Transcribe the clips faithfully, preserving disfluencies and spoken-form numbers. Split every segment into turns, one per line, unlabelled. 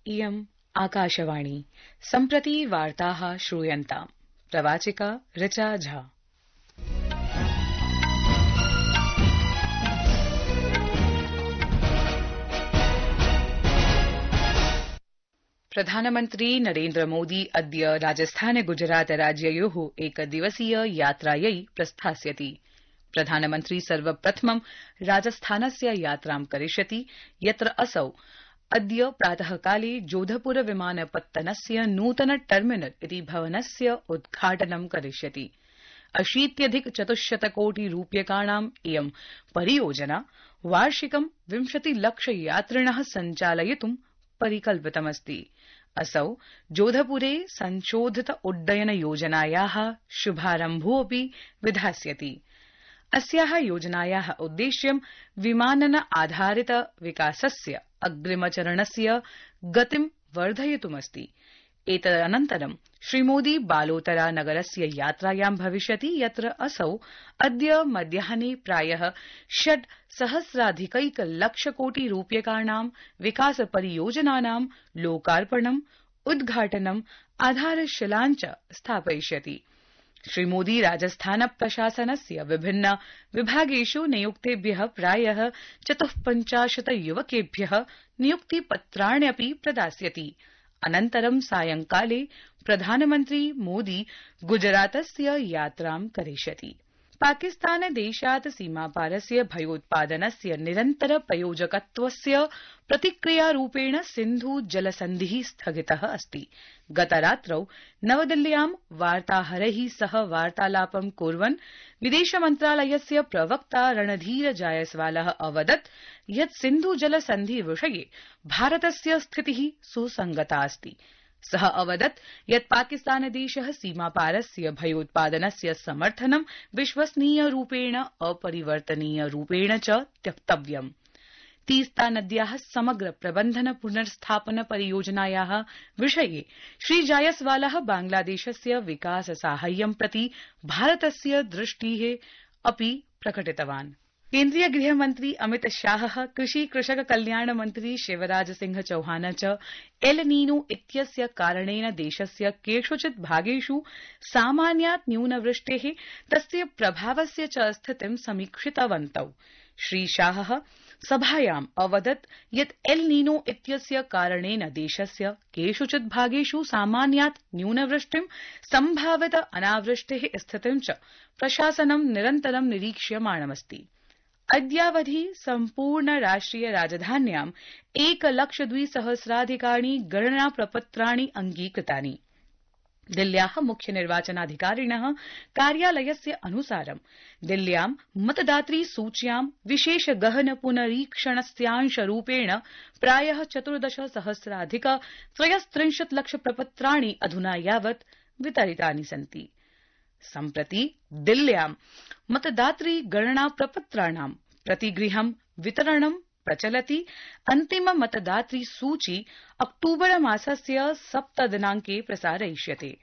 इयम् आकाशवाणी सम्प्रति वार्ताः श्रूयन्ताम् प्रवाचिका ऋचा झा। प्रधानमन्त्री नरेन्द्र मोदी अद्य राजस्थान गुजरात राज्ययोः एकदिवसीय यात्रायै प्रस्थास्यति। प्रधानमन्त्री सर्वप्रथमं राजस्थानस्य यात्रां करिष्यति, यत्र असौ अद्य प्रातःकाले जोधपुर विमानपत्तनस्य नूतन टर्मिनल इति भवनस्य उद्घाटनं करिष्यति। अशीत्यधिक चतुश्शत कोटि रूप्यकाणाम् इयं परियोजना वार्षिकं विंशति लक्ष यात्रिणः सञ्चालयितुं परिकल्पितमस्ति। असौ जोधपुरे संशोधित उड्डयन योजनायाः शुभारम्भोऽपि विधास्यति। अस्याः योजनायाः उद्देश्यं विमानन आधारित विकासस्य अग्रिमचरणस्य गतिं वर्धयितुमस्ति। एतदनन्तरं श्रीमोदी बालोतरा नगरस्य यात्रायां भविष्यति, यत्र असौ अद्य मध्याह्ने प्रायः षड् सहस्राधिकैक लक्ष कोटि रूप्यकाणां विकास परियोजनानां लोकार्पणम्, उद्घाटनम्, आधारशिलां च स्थापयिष्यति। श्रीमोदी राजस्थान प्रशासनस्य विभिन्न विभागेषु नियुक्तेभ्यः प्रायः चतुःपञ्चाशत् युवकेभ्यः नियुक्तिपत्राण्यपि प्रदास्यति। अनन्तरं सायंकाले प्रधानमन्त्री मोदी गुजरातस्य यात्रां करिष्यति। पाकिस्तानदेशात् सीमापारस्य भयोत्पादनस्य निरन्तर प्रयोजकत्वस्य प्रतिक्रियारूपेण सिन्धु जलसन्धिः स्थगितः अस्ति। गतरात्रौ नवदिल्ल्यां वार्ताहरैः सह वार्तालापं कुर्वन् विदेशमन्त्रालयस्य प्रवक्ता रणधीर जायसवालः अवदत् यत् सिन्धु जलसन्धि विषये भारतस्य स्थितिः सुसंगता अस्ति। सः अवदत् यत् पाकिस्तानदेशः सीमापारस्य भयोत्पादनस्य समर्थनं विश्वसनीयरूपेण अपरिवर्तनीयरूपेण च त्यक्तव्यम्। तीस्ता नद्याः समग्र प्रबन्धन पुनर्स्थापन परियोजनायाः विषये श्री जायसवालः बांग्लादेशस्य विकास साहाय्यं प्रति भारतस्य दृष्टिः अपि प्रकटितवान्। केन्द्रीय गृहमन्त्री अमित शाहः, कृषि कृषक कल्याण मन्त्री शिवराज सिंह चौहान च एल नीनो इत्यस्य कारणेन देशस्य केषुचित् भागेषु सामान्यात् न्यूनवृष्टेः, तस्य प्रभावस्य च स्थितिं समीक्षितवन्तौ। श्री शाहः सभायाम् अवदत् यत् एल नीनो इत्यस्य कारणेन देशस्य केषुचित् भागेषु सामान्यात् न्यूनवृष्टिं, सम्भावित अनावृष्टेः स्थितिं च प्रशासनं निरन्तरं निरीक्ष्यमाणमस्ति। अद्यावधि सम्पूर्ण राष्ट्रिय राजधान्याम् एकलक्ष द्विसहस्राधिकानि गणना प्रपत्राणि अङ्गीकृतानि। दिल्ल्याः मुख्य निर्वाचनाधिकारिणः कार्यालयस्य अनुसारं दिल्ल्यां मतदातृ सूच्यां विशेष गहन पुनरीक्षणस्यांशरूपेण प्रायः चतुर्दश सहस्राधिक त्रयस्त्रिंशत् लक्ष प्रपत्राणि अधुना यावत् वितरितानि सन्ति। सम्प्रति दिल्ल्यां मतदातृ गणना प्रपत्राणां प्रतिगृहं वितरणं प्रचलति। अन्तिम मतदातृ सूची अक्टूबर मासस्य सप्त दिनांके प्रसारयिष्यते।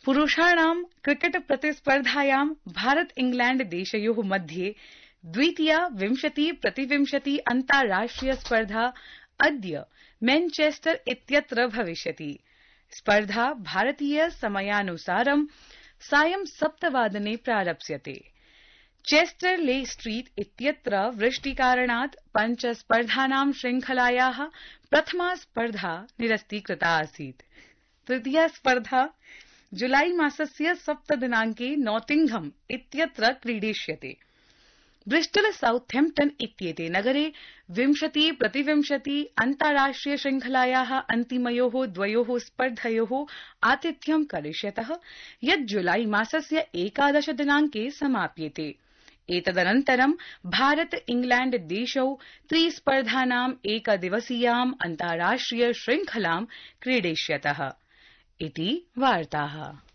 पुरुषाणां क्रिकेट प्रतिस्पर्धायां भारत इंग्लैंड देशयोः मध्ये द्वितीया विंशति प्रतिविंशति अन्ताराष्ट्रिय स्पर्धा अद्य मैनचेस्टर इत्यत्र भविष्यति। स्पर्धा भारतीय समयानुसारं सायं सप्तवादने प्रारप्स्यते। चेस्टर ले स्ट्रीट इत्यत्र वृष्टिकारणात् पञ्च स्पर्धानां श्रृंखलायाः प्रथमा स्पर्धा निरस्तीकृता आसीत्। तृतीया स्पर्धा जुलाई मासस्य सप्त दिनांके नॉटिंघम इत्यत्र क्रीडिष्यते। ब्रिस्टल साउथैम्प्टन इत्येते नगरे विंशति प्रतिविंशति अन्ताराष्ट्रिय श्रृंखलायाः अन्तिमयोः द्वयोः स्पर्धयोः आतिथ्यं करिष्यतः, यत् जुलाई मासस्य एकादश दिनांके समाप्येते। एतदनन्तरं भारत इंग्लैंड देशौ त्रिस्पर्धानाम् एकदिवसीयाम् अन्ताराष्ट्रिय श्रृंखलां क्रीडिष्यतः। इति वार्ताः।